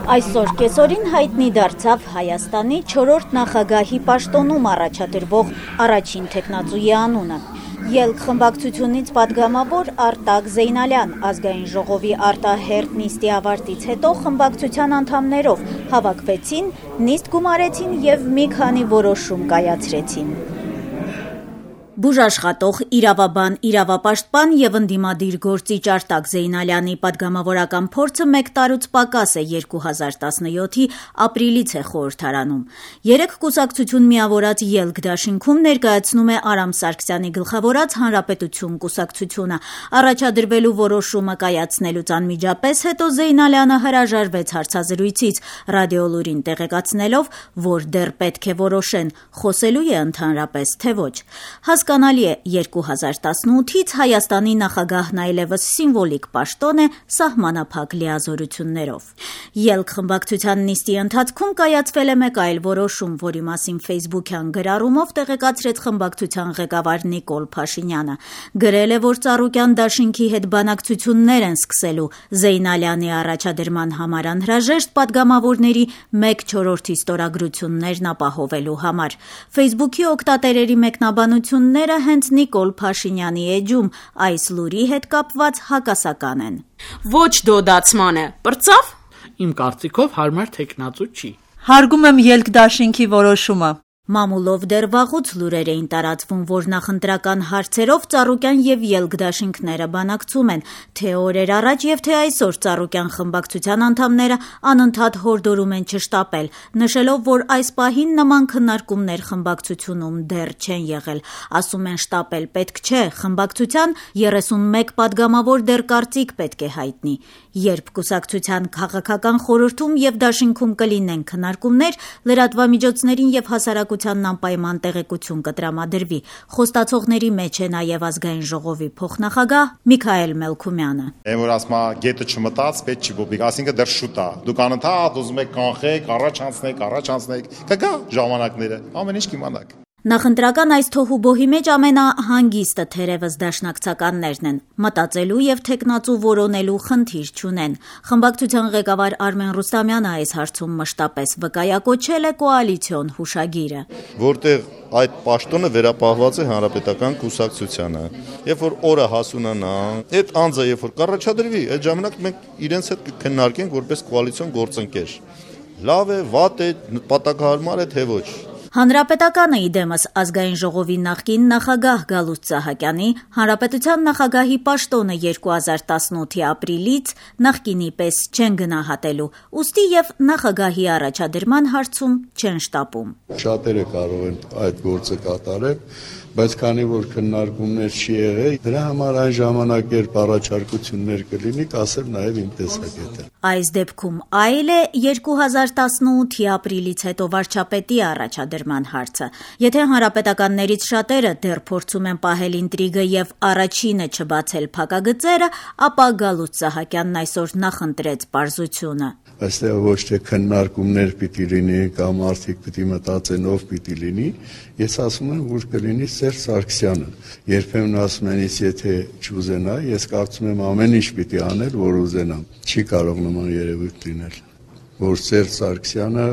Այսօր կեսօրին հայտնի դարձավ Հայաստանի 4-րդ նախագահի պաշտոնում առաջադրվող առաջին թեկնածուի անունը։ Ելք խմբակցությունից պատգամավոր Արտակ Զեյնալյան ազգային ժողովի արտահերթ նիստի ավարտից հետո խմբակցության անդամներով հավաքվեցին, նիստ գումարեցին եւ մի քանի որոշում կայացրեցին։ Բուժաշխատող, իրավաբան, իրավապաշտպան եւ ընդդիմադիր գործիչ Արտակ Զեյնալյանի պատգամավորական փորձը 1 տարուց պակաս է 2017-ի ապրիլից է խորհրդարանում։ 3 կուսակցություն միավորած ելք դաշինքում ներկայացնում է Արամ Սարգսյանի գլխավորած Հանրապետություն կուսակցությունը։ Առաջադրվելու որոշումը կայացնելուց անմիջապես հետո Զեյնալյանը հրաժարվեց հարցազրույցից, Ռադիոլուրին տեղեկացնելով, որ դեռ պետք է որոշեն՝ խոսելու է ընդհանրապես, թե ոչ։ Հասկանալի է, 2018-ից Հայաստանի նախագահն այլևս սիմվոլիկ պաշտոն է սահմանափակ լիազորություններով։ Ելք խմբակցության նիստի ընթացքում կայացվել է մեկ այլ որոշում, որի մասին ֆեյսբուքյան գրառումով տեղեկացրեց խմբակցության ղեկավար Նիկոլ Փաշինյանը։ Գրել է, որ Ծառուկյան դաշինքի հետ բանակցություններ են սկսելու Զեյնալյանի առաջադրման համար անհրաժեշտ պատգամավորների 1/4 ստորագրություններն ապահովելու համար։ Ֆեյսբուքի օգտատերերի մեկնաբանությունները հենց Նիկոլ Փաշինյանի էջում այս լուրի հետ կապված հակասական են։ Ոչ դոդացման է, պրծավ։ Իմ կարծիքով հարմար թեկնածու չի։ Հարգում եմ ելք դաշինքի որոշումը։ Մամուլով դեռ վաղուց լուրեր էին տարածվում, որ նախընտրական հարցերով Ծառուկյան եւ ելք դաշինքները բանակցում են, թե օրեր առաջ եւ թե այսօր Ծառուկյան խմբակցության անդամները անընդհատ հորդորում են չշտապել, նշելով, որ այս պահին նման քննարկումներ խմբակցությունում դեռ չեն եղել։ Ասում են շտապել պետք չէ, խմբակցության 31 պատգամավոր դեռ կարծիք պետք է հայտնի։ Երբ կուսակցության քաղաքական խորհրդում եւ դաշինքում կլինեն քննարկումներ, լրատվամիջոցներին եւ հասարակությանն անպայման տեղեկություն կտրամադրվի։ Խոստացողների մեջ է նաեւ ազգային ժողովի փոխնախագահ Միքայել Մելքումյանը։ Որ ասма գետը չմտած, պետք չի ոբիկ, ասինքն դեռ շուտ է։ Դուք անընդհատ ուզում եք կանխեք, առաջ անցնեք, կգա ժամանակները, ամեն ինչ կիմանաք։ Նախընտրական այս թոհուբոհի մեջ ամենահանգիստը թերևս դաշնակցականներն են, մտածելու եւ թեկնածու որոնելու խնդիր չունեն։ Խմբակցության ղեկավար Արմեն Ռուստամյանը այս հարցում մշտապես վկայակոչել է կոալիցիոն հուշագիրը, որտեղ այդ պաշտոնը վերապահված է հանրապետական կուսակցությանը։ Երբ որ օրը հասունանա, այդ անձը երբ որ կառաջադրվի, այդ ժամանակ մենք իրենց հետ կքննարկենք որպես կոալիցիոն գործընկեր։ Լավ է, վատ է, նպատակահարմար է, թե ոչ։ Հանրապետականը իդեմս ազգային ժողովի նախկին նախագահ Գալուստ Սահակյանի հանրապետության նախագահի պաշտոնը 2018-ի ապրիլից նախկինի պես չեն գնահատելու, ուստի եւ նախագահի առաջադրման հարցում չեն շտապում։ Շատերը կարող են այդ գործը կատարել, բայց քանի որ քննարկումներ չի եղել, դրա համար այն ժամանակ երբ առաջարկություններ կլինի, կասեմ նաեւ իմ տեսակետը։ Այս դեպքում այլ է 2018-ի ապրիլից հետո վարչապետի առաջադրման հարցը։ Եթե հանրապետականներից շատերը դեռ փորձում են պահել ինտրիգը եւ առաջինը չբացել փակագծերը, ապա Գալուստ Սահակյանն այսօր նախընտրեց պարզությունը։ Այստեղ ոչ թե քննարկումներ պիտի լինի կամ արդիկ պիտի մտածեն ով պիտի լինի, ես ասում եմ, որ կլինի Սերժ Սարգսյանը։ Երբեմն ասում են, եթե չուզենա, ես կարծում եմ ամեն ինչ պիտի անել, որ ուզենամ։ Չի կարող նման երևույթ լինել, որ Սերժ Սարգսյանը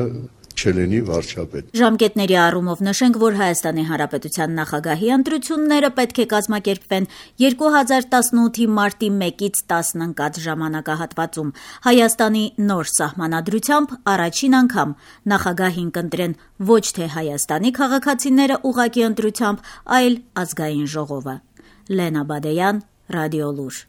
չլինի վարչապետ։ Ժամկետների առումով նշենք, որ Հայաստանի Հանրապետության նախագահի ընտրությունները պետք է կազմակերպվեն 2018-ի մարտի 1-ից 10 ընկած ժամանակահատվածում։ Հայաստանի նոր սահմանադրությամբ առաջին անգամ նախագահին կընտրեն ոչ թե Հայաստանի քաղաքացիները ուղղակի ընտրությամբ, այլ ազգային ժողովը։ Լենա Բադեյան, Ռադիոլուր։